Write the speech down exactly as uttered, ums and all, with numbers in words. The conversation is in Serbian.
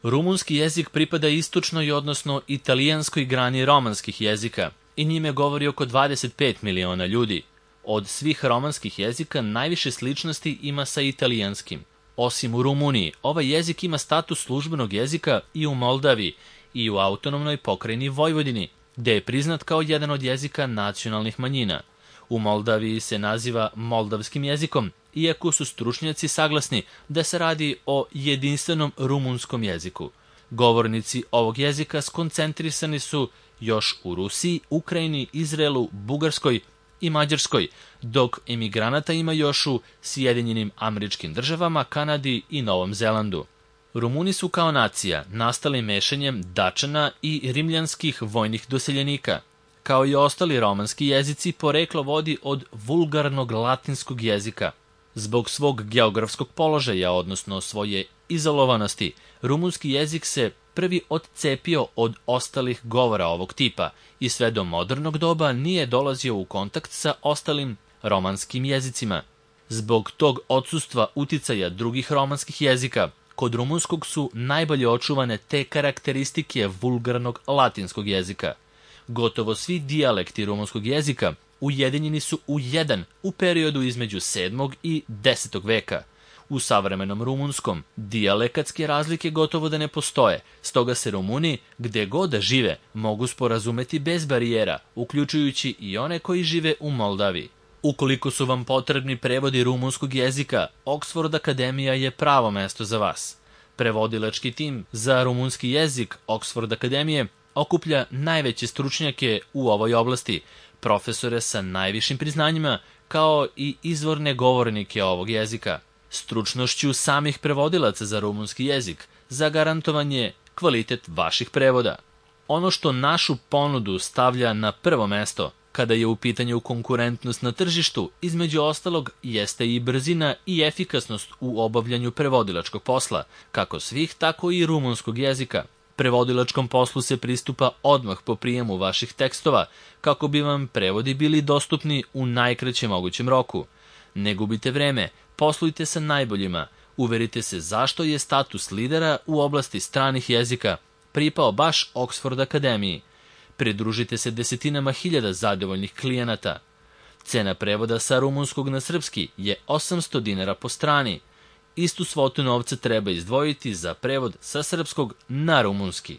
Rumunski jezik pripada istočnoj, odnosno italijanskoj grani romanskih jezika i njime govori oko dvadeset pet miliona ljudi. Od svih romanskih jezika najviše sličnosti ima sa italijanskim. Osim u Rumuniji, ovaj jezik ima status službenog jezika i u Moldaviji i u autonomnoj pokrajini Vojvodini, gde je priznat kao jedan od jezika nacionalnih manjina. U Moldaviji se naziva moldavskim jezikom, iako su stručnjaci saglasni da se radi o jedinstvenom rumunskom jeziku. Govornici ovog jezika skoncentrisani su još u Rusiji, Ukrajini, Izraelu, Bugarskoj i Mađarskoj, dok emigranata ima još u Sjedinjenim Američkim Državama, Kanadi i Novom Zelandu. Rumuni su kao nacija nastali mešanjem Dačana i rimljanskih vojnih doseljenika. Kao i ostali romanski jezici, poreklo vodi od vulgarnog latinskog jezika. Zbog svog geografskog položaja, odnosno svoje izolovanosti, rumunski jezik se prvi odcepio od ostalih govora ovog tipa i sve do modernog doba nije dolazio u kontakt sa ostalim romanskim jezicima. Zbog tog odsustva uticaja drugih romanskih jezika, kod rumunskog su najbolje očuvane te karakteristike vulgarnog latinskog jezika. Gotovo svi dijalekti rumunskog jezika ujedinjeni su u jedan u periodu između sedmog i desetog veka. U savremenom rumunskom dijalekatske razlike gotovo da ne postoje, stoga se Rumuni, gde god da žive, mogu sporazumeti bez barijera, uključujući i one koji žive u Moldaviji. Ukoliko su vam potrebni prevodi rumunskog jezika, Oxford Akademija je pravo mesto za vas. Prevodilački tim za rumunski jezik Oxford Akademije okuplja najveće stručnjake u ovoj oblasti, profesore sa najvišim priznanjima, kao i izvorne govornike ovog jezika. Stručnošću samih prevodilaca za rumunski jezik zagarantovan je kvalitet vaših prevoda. Ono što našu ponudu stavlja na prvo mesto kada je u pitanju konkurentnost na tržištu, između ostalog, jeste i brzina i efikasnost u obavljanju prevodilačkog posla, kako svih, tako i rumunskog jezika. Prevodilačkom poslu se pristupa odmah po prijemu vaših tekstova, kako bi vam prevodi bili dostupni u najkraćem mogućem roku. Ne gubite vreme, poslujte sa najboljima, uverite se zašto je status lidera u oblasti stranih jezika pripao baš Oxford Akademiji. Pridružite se desetinama hiljada zadovoljnih klijenata. Cena prevoda sa rumunskog na srpski je osamsto dinara po strani. Istu svotu novca treba izdvojiti za prevod sa srpskog na rumunski.